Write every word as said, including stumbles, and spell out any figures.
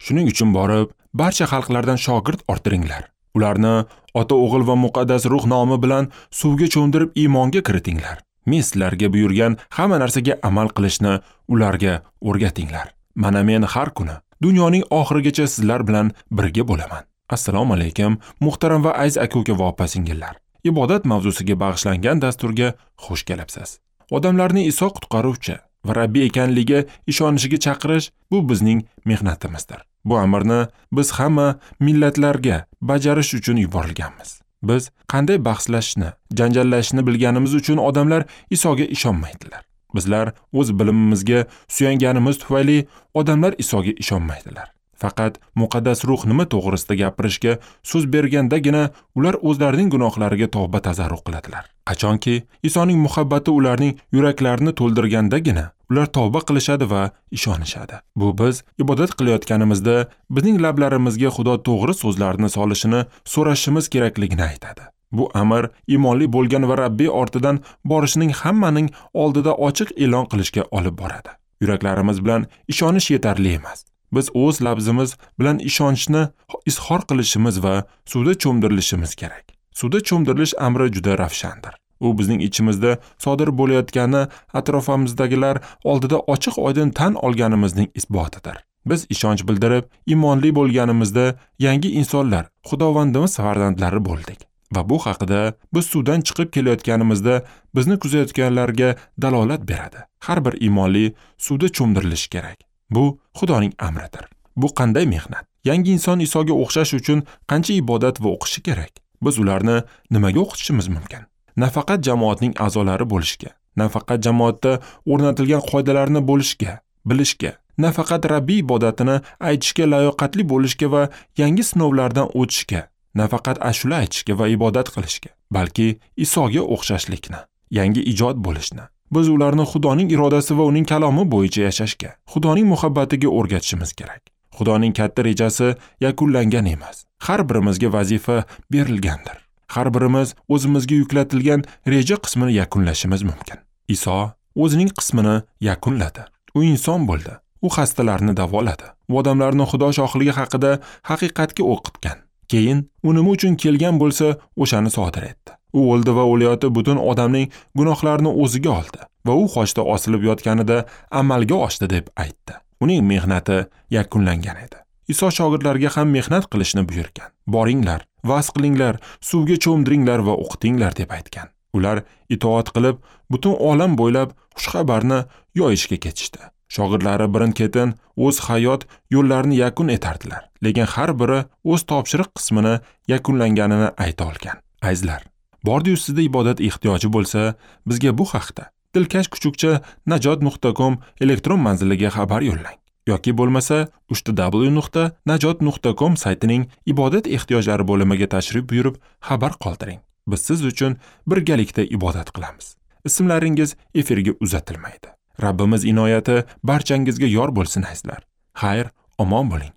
Shuning uchun borib, barcha xalqlardan shogird orttiringlar. Ularni Ota, O'g'il va Muqaddas Ruh nomi bilan suvga cho'mdirib iymonga kiritinglar. Men sizlarga buyurgan hamma narsaga amal qilishni ularga o'rgatinglar. Mana men har kuni dunyoning oxirigacha sizlar bilan birga bo'laman. Assalomu alaykum, muhtaram va aziz aka-uka va opa-singillar. Ibodat mavzusiga bag'ishlangan dasturga xush kelibsiz. Odamlarni Iso qutqaruvchi va Rabbi ekanligiga ishonishiga chaqirish bu bizning mehnatimizdir. Bu amrni biz hamma millatlarga bajarish uchun yuborilganmiz. Biz qanday bahslashishni, janjallashishni bilganimiz uchun odamlar Isoga ishonmaydilar. Bizlar o'z bilimimizga suyanganimiz tufayli odamlar Isoga ishonmaydilar. Faqat Muqaddas Ruh nima to'g'risida gapirishga so'z bergandagina ular o'zlarining gunohlariga tavba tazarru qiladilar. Qachonki Isoning muhabbati ularning yuraklarini to'ldirgandagina ular tavba qilishadi va ishonishadi. Bu biz ibodat qilayotganimizda bizning lablarimizga Xudo to'g'ri so'zlarni solishini so'rashimiz kerakligini aytadi. Bu amr iymonli bo'lgan va Rabbiy ortidan borishining hammaning oldida ochiq e'lon qilishga olib boradi. Yuraklarimiz bilan ishonish yetarli emas. Biz o'z labzimiz bilan ishonchni izhor qilishimiz va suvda cho'mdirilishimiz kerak. Suvda cho'mdirilish amri juda ravshandir. U bizning ichimizda sodir bo'layotgani atrofimizdagilar oldida ochiq oydin tan olganimizning isbotidir. Biz ishonch bildirib, iymonli bo'lganimizda yangi insonlar, Xudovandimiz farzandlari bo'ldik. Va bu haqida biz suvdan chiqib kelayotganimizda bizni kuzatayotganlarga dalolat beradi. Har bir iymonli suvda cho'mdirilishi kerak. Bu Xudoning amridir. Bu qanday mehnat? Yangi inson Isoga o'xshash uchun qancha ibodat va o'qishi kerak? Biz ularni nimaga o'qitishimiz mumkin? Nafaqat jamoatning a'zolari bo'lishga, nafaqat jamoatda o'rnatilgan qoidalarni bo'lishga, bilishga, nafaqat Rabbiy ibodatini aytishga layoqatli bo'lishga va yangi sinovlardan o'tishga, nafaqat ashula aytishga va ibodat qilishga, balki Isoga o'xshashlikni, yangi ijod bo'lishni. Biz ularni Xudoning irodasi va uning kalomi bo'yicha yashashga, Xudoning muhabbatiga o'rgatishimiz kerak. Xudoning katta rejasi yakunlangan emas. Har birimizga vazifa berilgandir. Har birimiz o'zimizga yuklatilgan reja qismini yakunlashimiz mumkin. Iso o'zining qismini yakunladi. U inson bo'ldi. U xastalarni davoladi. U odamlarni Xudo shohligi haqida haqiqatga o'qitgan. Keyin u nima uchun kelgan bo'lsa, o'shani sodir etdi. U o'ldi va o'layotib butun odamning gunohlarini o'ziga oldi va u xochda osilib yotganida amalga oshdi deb aytdi. Uning mehnati yakunlangan edi. Iso shogirdlarga ham mehnat qilishni buyurgan. Boringlar, va'z qilinglar, suvga cho'mdiringlar va o'qitinglar deb aytgan. Ular itoat qilib, butun olam bo'ylab xushxabarni yoyishga ketishdi. Shogirdlari birin-ketin o'z hayot yo'llarini yakun etardilar, lekin har biri o'z topshiriq qismini yakunlanganini ayta olgan. Azizlar, bordi-yu sizda ibodat ehtiyoji bo'lsa, bizga bu haqda dilkash kuchukcha najot nuqta com elektron manziliga xabar yo'llang yoki bo'lmasa uch w nuqta najot nuqta com saytining ibodat ehtiyojlari bo'limiga tashrif buyurib xabar qoldiring. Biz siz uchun birgalikda ibodat qilamiz. Ismlaringiz efirga uzatilmaydi. Rabbimiz inoyati barchangizga yor bo'lsin azizlar. Xayr, omon bo'ling.